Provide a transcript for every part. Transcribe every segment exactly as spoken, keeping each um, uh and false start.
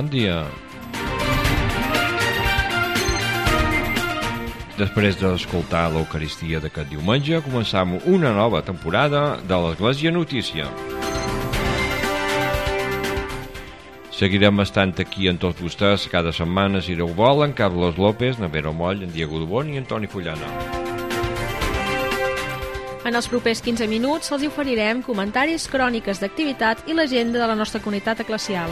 bon dia. Després d'escoltar l'Eucaristia d'aquest diumenge, començam una nova temporada de l'Església Notícia. Seguirem estant aquí amb tots vostès cada setmana, si Déu vol, en Carlos López, Navero Moll, en Diego Dubón i en Toni Fullana. En els propers quinze minuts els oferirem comentaris, cròniques d'activitat i l'agenda de la nostra comunitat eclesial.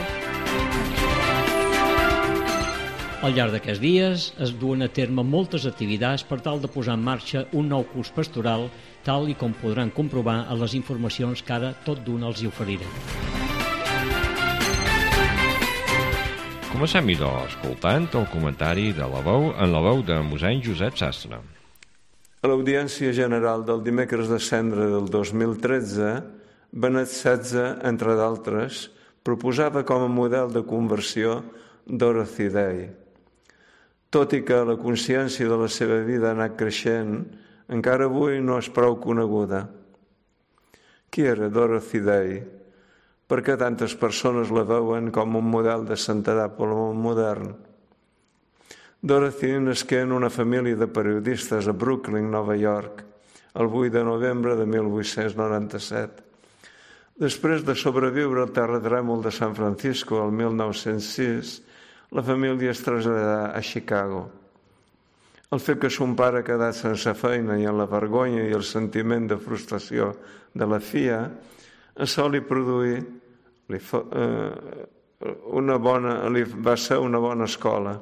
Al llarg d'aquests dies es duen a terme moltes activitats per tal de posar en marxa un nou curs pastoral, tal i com podran comprovar a les informacions que ara tot d'una els hi oferirem. Comencem, idò, escoltant el comentari de la veu en la veu de mossèn Josep Sastre. A l'Audiència General del dimecres de Cendra del dos mil tretze, Benet setze, entre d'altres, proposava com a model de conversió Dorothy Day. Tot i que la consciència de la seva vida ha anat creixent, encara avui no és prou coneguda. Qui era Dorothy Day? Per què tantes persones la veuen com un model de santedat pel món modern? Dorothy nasqué en una família de periodistes a Brooklyn, Nova York, el vuit de novembre de mil vuit-cents noranta-set. Després de sobreviure al terratrèmol de San Francisco el mil nou-cents sis, la família es traslladà a Chicago. El fet que son pare ha quedat sense feina i en la vergonya i el sentiment de frustració de la filla, això li produí li fa, eh, una bona, li va ser una bona escola.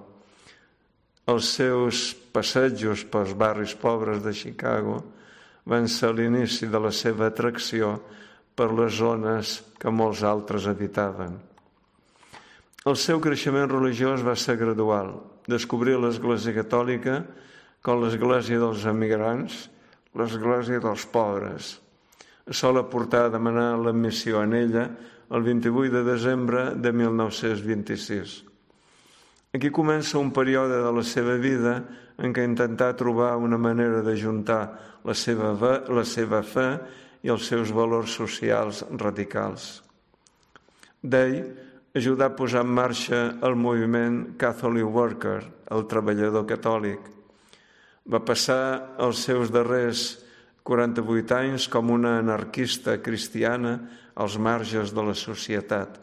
Els seus passejos pels barris pobres de Chicago van ser l'inici de la seva atracció per les zones que molts altres habitaven. El seu creixement religiós va ser gradual. Descobrir l'Església Catòlica com l'Església dels emigrants, l'Església dels pobres. Això l'ha portat a demanar l'admissió en ella el vint-i-vuit de desembre de mil nou-cents vint-i-sis. Aquí comença un període de la seva vida en què intentà trobar una manera d'ajuntar la seva, la seva fe i els seus valors socials radicals. Day ajudà a posar en marxa el moviment Catholic Worker, el treballador catòlic. Va passar els seus darrers quaranta-vuit anys com una anarquista cristiana als marges de la societat.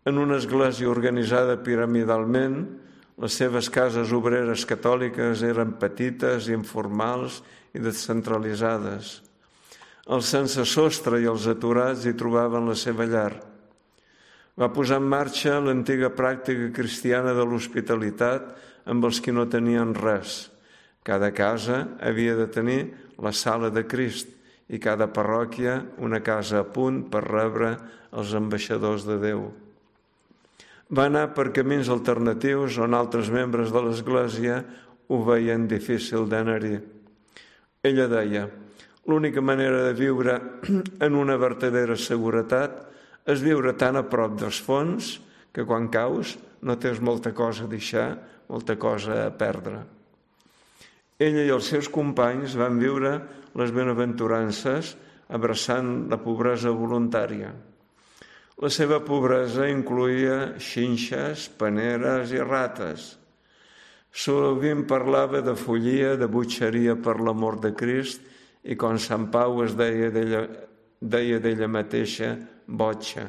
En una església organitzada piramidalment, les seves cases obreres catòliques eren petites, informals i descentralitzades. Els sense sostre i els aturats hi trobaven la seva llar. Va posar en marxa l'antiga pràctica cristiana de l'hospitalitat amb els que no tenien res. Cada casa havia de tenir la sala de Crist i cada parròquia una casa a punt per rebre els ambaixadors de Déu. Va anar per camins alternatius on altres membres de l'Església ho veien difícil d'anar-hi. Ella deia: l'única manera de viure en una vertadera seguretat és viure tan a prop dels fons que quan caus no tens molta cosa a deixar, molta cosa a perdre. Ella i els seus companys van viure les benaventurances abraçant la pobresa voluntària. La seva pobresa incloïa xinxes, paneres i rates. Sovint parlava de follia, de butxeria per l'amor de Crist i com Sant Pau es deia d'ella, deia d'ella mateixa botxa.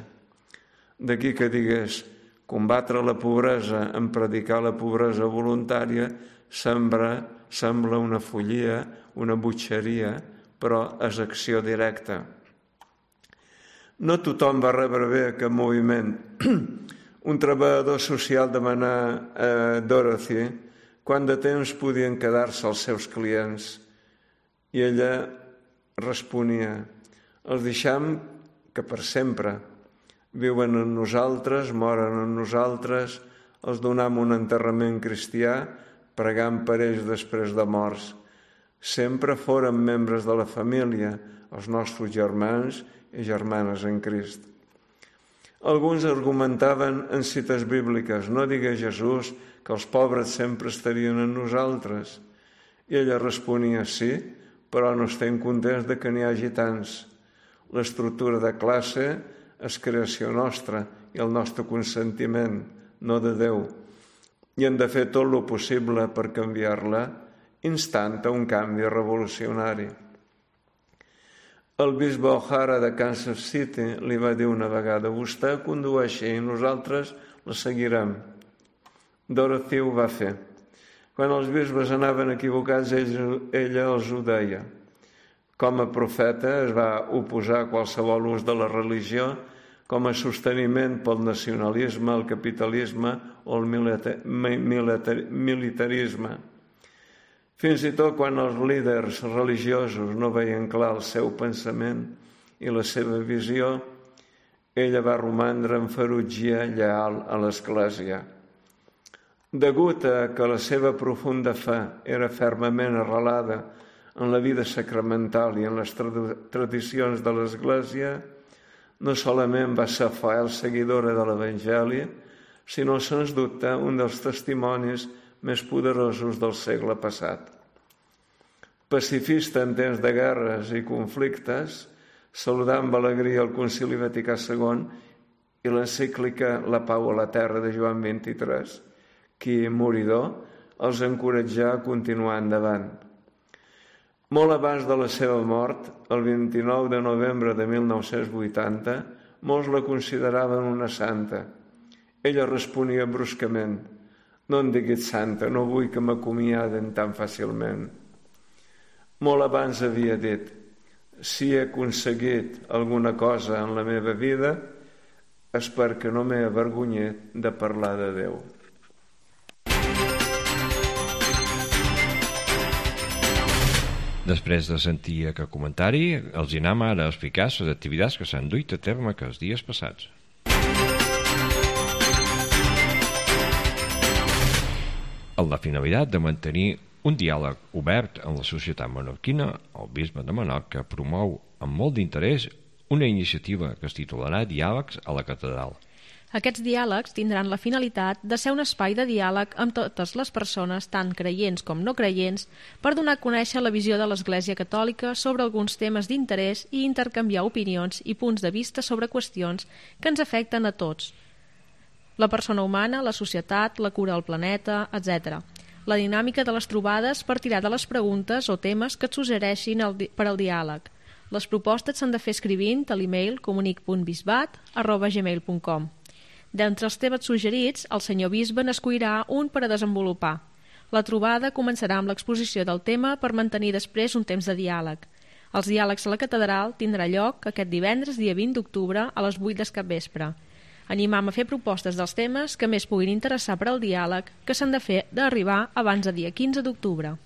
D'aquí que digués: combatre la pobresa en predicar la pobresa voluntària sembla, sembla una follia, una butxeria, però és acció directa. No tothom va rebre bé aquest moviment. Un treballador social demanà a Dorothy quant de temps podien quedar-se els seus clients i ella responia: els deixam que per sempre. Viuen en nosaltres, moren en nosaltres, els donam un enterrament cristià, pregant per ells després de morts. Sempre foren membres de la família, els nostres germans i germanes en Crist. Alguns argumentaven en cites bíbliques: no digué Jesús que els pobres sempre estarien en nosaltres. I ella responia: sí, però no estem contents de que n'hi hagi tants. L'estructura de classe és creació nostra i el nostre consentiment, no de Déu, i hem de fer tot el possible per canviar-la, instant a un canvi revolucionari. El bisbe O'Hara de Kansas City li va dir una vegada: vostè condueixi i nosaltres la seguirem. Dorothy ho va fer. Quan els bisbes anaven equivocats, ella els ho deia. Com a profeta es va oposar a qualsevol ús de la religió com a sosteniment pel nacionalisme, el capitalisme o el militarisme. Fins i tot quan els líders religiosos no veien clar el seu pensament i la seva visió, ella va romandre en ferotgia lleal a l'Església. Degut a que la seva profunda fe era fermament arrelada en la vida sacramental i en les tradicions de l'Església, no solament va ser fiel seguidora de l'Evangeli, sinó, sens dubte, un dels testimonis més poderosos del segle passat. Pacifista en temps de guerres i conflictes, saludà amb alegria el Concili Vaticà segon i l'encíclica La Pau a la Terra de Joan vint-i-tres, qui, moridor, els encoratjà a continuar endavant. Molt abans de la seva mort, el vint-i-nou de novembre de mil nou-cents vuitanta, molts la consideraven una santa. Ella responia bruscament: no em diguis santa, no vull que m'acomiaden tan fàcilment. Molt abans havia dit: si he aconseguit alguna cosa en la meva vida, és perquè no m'he avergonyit de parlar de Déu. Després de sentir aquest comentari, els anem ara a explicar les activitats que s'han duit a terme aquests dies passats. Amb la finalitat de mantenir un diàleg obert amb la societat menorquina, el bisbe de Menorca promou amb molt d'interès una iniciativa que es titularà Diàlegs a la Catedral. Aquests diàlegs tindran la finalitat de ser un espai de diàleg amb totes les persones, tant creients com no creients, per donar a conèixer la visió de l'Església Catòlica sobre alguns temes d'interès i intercanviar opinions i punts de vista sobre qüestions que ens afecten a tots. La persona humana, la societat, la cura del planeta, etcètera. La dinàmica de les trobades partirà de les preguntes o temes que et suggereixin per al diàleg. Les propostes s'han de fer escrivint a l'email comunic punt bisbat arroba gmail punt com. D'entre els temes suggerits, el senyor bisbe n'escollirà un per a desenvolupar. La trobada començarà amb l'exposició del tema per mantenir després un temps de diàleg. Els diàlegs a la catedral tindrà lloc aquest divendres, dia vint d'octubre, a les vuit del capvespre. Animam a fer propostes dels temes que més puguin interessar per al diàleg, que s'han de fer d'arribar abans del dia quinze d'octubre.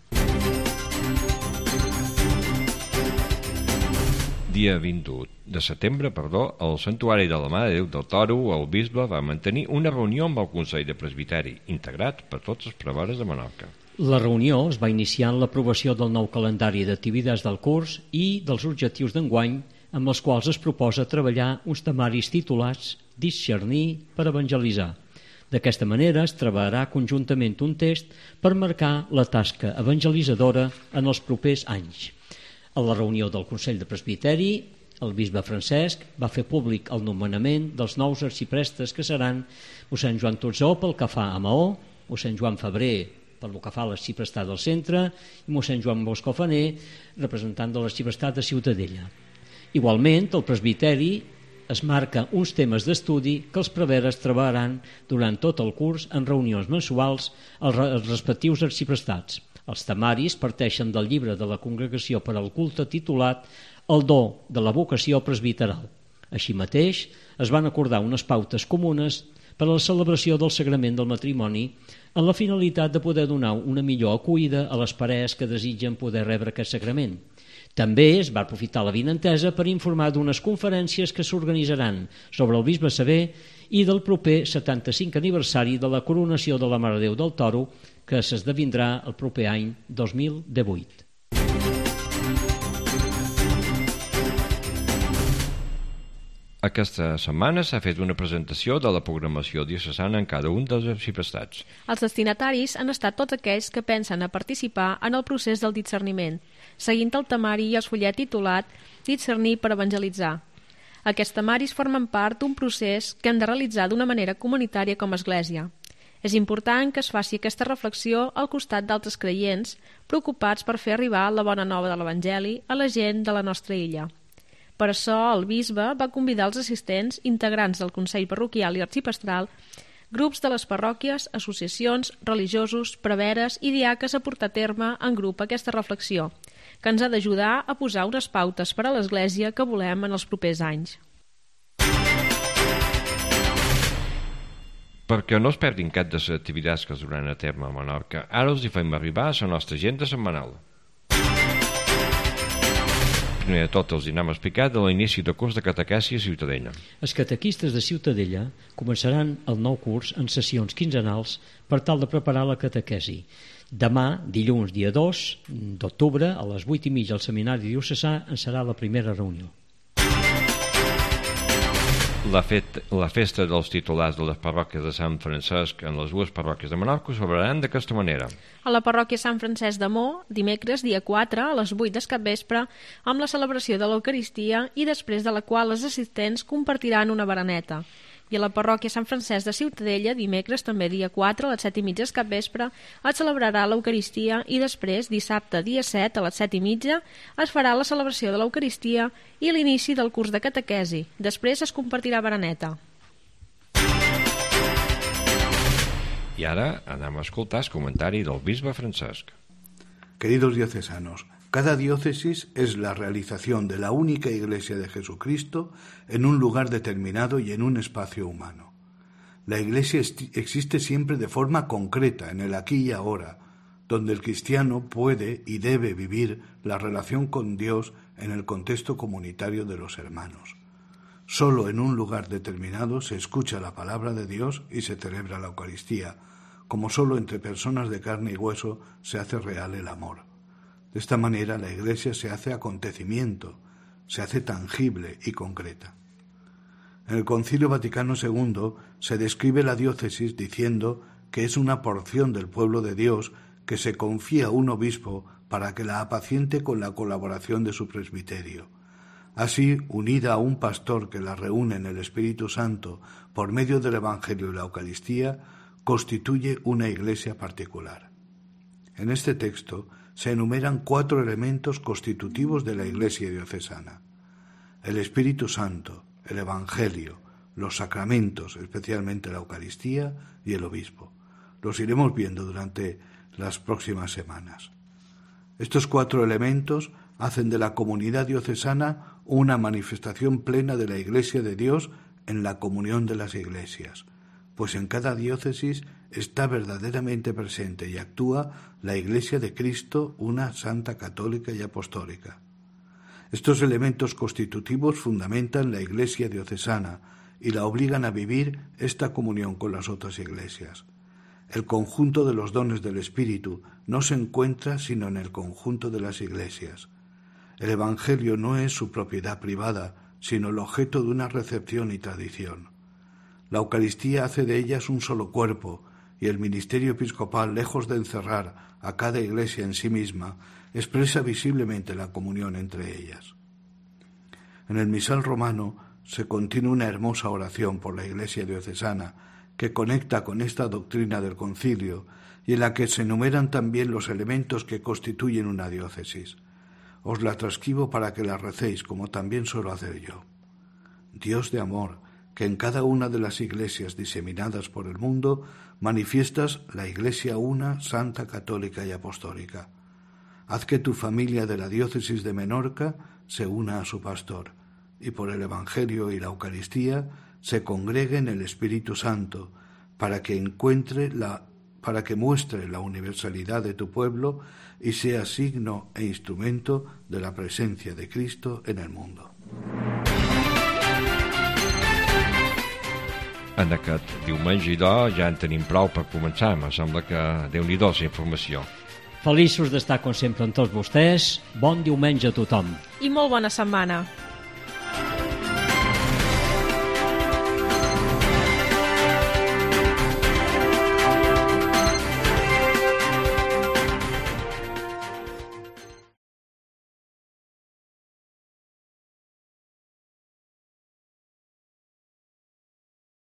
Dia vint de setembre, perdó, al Santuari de la Mare de Déu del Toro, el bisbe va mantenir una reunió amb el Consell de Presbiteri, integrat per tots els preveres de Menorca. La reunió es va iniciar amb l'aprovació del nou calendari d'activitats del curs i dels objectius d'enguany, amb els quals es proposa treballar uns temaris titulats Discernir per evangelitzar. D'aquesta manera es treballarà conjuntament un text per marcar la tasca evangelitzadora en els propers anys. A la reunió del Consell de Presbiteri, el bisbe Francesc va fer públic el nomenament dels nous arxiprestes que seran mossèn Joan Totzó pel que fa a Maó, mossèn Joan Febrer pel que fa a l'arxiprestat del centre i mossèn Joan Boscofaner, representant de l'arxiprestat de Ciutadella. Igualment, el presbiteri es marca uns temes d'estudi que els preveres treballaran durant tot el curs en reunions mensuals als respectius arxiprestats. Els temaris parteixen del llibre de la Congregació per al Culte titulat El do de la vocació presbiteral. Així mateix, es van acordar unes pautes comunes per a la celebració del sagrament del matrimoni amb la finalitat de poder donar una millor acollida a les parelles que desitgen poder rebre aquest sagrament. També es va aprofitar la vinentesa per informar d'unes conferències que s'organitzaran sobre el bisbe Sever i del proper setanta-cinc aniversari de la coronació de la Mare de Déu del Toro, que s'esdevindrà el proper any dos mil divuit. Aquesta setmana s'ha fet una presentació de la programació diocesana en cada un dels arxiprestats. Els destinataris han estat tots aquells que pensen a participar en el procés del discerniment, seguint el temari i el fullet titulat Discernir per evangelitzar. Aquests temaris formen part d'un procés que hem de realitzar d'una manera comunitària com a Església. És important que es faci aquesta reflexió al costat d'altres creients preocupats per fer arribar la bona nova de l'Evangeli a la gent de la nostra illa. Per això el bisbe va convidar els assistents, integrants del Consell Parroquial i Arxipastral, grups de les parròquies, associacions, religiosos, preveres i diaques a portar a terme en grup aquesta reflexió, que ens ha d'ajudar a posar unes pautes per a l'Església que volem en els propers anys. Perquè no es perdin cap de les activitats que es duran a terme a Menorca, ara us hi fem arribar a la nostra agenda setmanal. Primer de tot els anem a explicar de l'inici del curs de catequesi a Ciutadella. Els catequistes de Ciutadella començaran el nou curs en sessions quinzenals per tal de preparar la catequesi. Demà, dilluns, dia dos d'octubre, a les vuit i mitja al Seminari Diocesà en serà la primera reunió. La, fet, la festa dels titulars de les parròquies de Sant Francesc en les dues parròquies de Menorca celebraran d'aquesta manera. A la parròquia Sant Francesc de Mo, dimecres, dia quatre, a les vuit del capvespre, amb la celebració de l'Eucaristia i després de la qual els assistents compartiran una bereneta. I a la parròquia Sant Francesc de Ciutadella, dimecres, també dia quatre, a les set i mitja del capvespre, es celebrarà l'Eucaristia i després, dissabte, dia set, a les set i mitja, es farà la celebració de l'Eucaristia i l'inici del curs de catequesi. Després es compartirà bereneta. I ara anem a escoltar el comentari del bisbe Francesc. Queridos diocesanos, cada diócesis es la realización de la única Iglesia de Jesucristo en un lugar determinado y en un espacio humano. La Iglesia existe siempre de forma concreta, en el aquí y ahora, donde el cristiano puede y debe vivir la relación con Dios en el contexto comunitario de los hermanos. Solo en un lugar determinado se escucha la palabra de Dios y se celebra la Eucaristía, como solo entre personas de carne y hueso se hace real el amor. De esta manera la Iglesia se hace acontecimiento, se hace tangible y concreta. En el Concilio Vaticano segundo se describe la diócesis diciendo que es una porción del pueblo de Dios que se confía a un obispo para que la apaciente con la colaboración de su presbiterio. Así, unida a un pastor que la reúne en el Espíritu Santo por medio del Evangelio y la Eucaristía, constituye una Iglesia particular. En este texto se enumeran cuatro elementos constitutivos de la Iglesia diocesana: el Espíritu Santo, el Evangelio, los sacramentos, especialmente la Eucaristía, y el obispo. Los iremos viendo durante las próximas semanas. Estos cuatro elementos hacen de la comunidad diocesana una manifestación plena de la Iglesia de Dios en la comunión de las iglesias, pues en cada diócesis está verdaderamente presente y actúa la Iglesia de Cristo, una santa católica y apostólica. Estos elementos constitutivos fundamentan la Iglesia diocesana y la obligan a vivir esta comunión con las otras iglesias. El conjunto de los dones del Espíritu no se encuentra sino en el conjunto de las iglesias. El Evangelio no es su propiedad privada, sino el objeto de una recepción y tradición. La Eucaristía hace de ellas un solo cuerpo, y el ministerio episcopal, lejos de encerrar a cada iglesia en sí misma, expresa visiblemente la comunión entre ellas. En el misal romano se contiene una hermosa oración por la Iglesia diocesana que conecta con esta doctrina del concilio y en la que se enumeran también los elementos que constituyen una diócesis. Os la transcribo para que la recéis, como también suelo hacer yo. Dios de amor, que en cada una de las iglesias diseminadas por el mundo manifiestas la Iglesia una, santa, católica y apostólica. Haz que tu familia de la diócesis de Menorca se una a su pastor, y por el Evangelio y la Eucaristía se congregue en el Espíritu Santo, para que encuentre la, para que muestre la universalidad de tu pueblo y sea signo e instrumento de la presencia de Cristo en el mundo. En aquest diumenge, doncs, ja en tenim prou per començar. Me sembla que Déu-n'hi-do la informació. Feliços d'estar, com sempre, amb tots vostès. Bon diumenge a tothom. I molt bona setmana.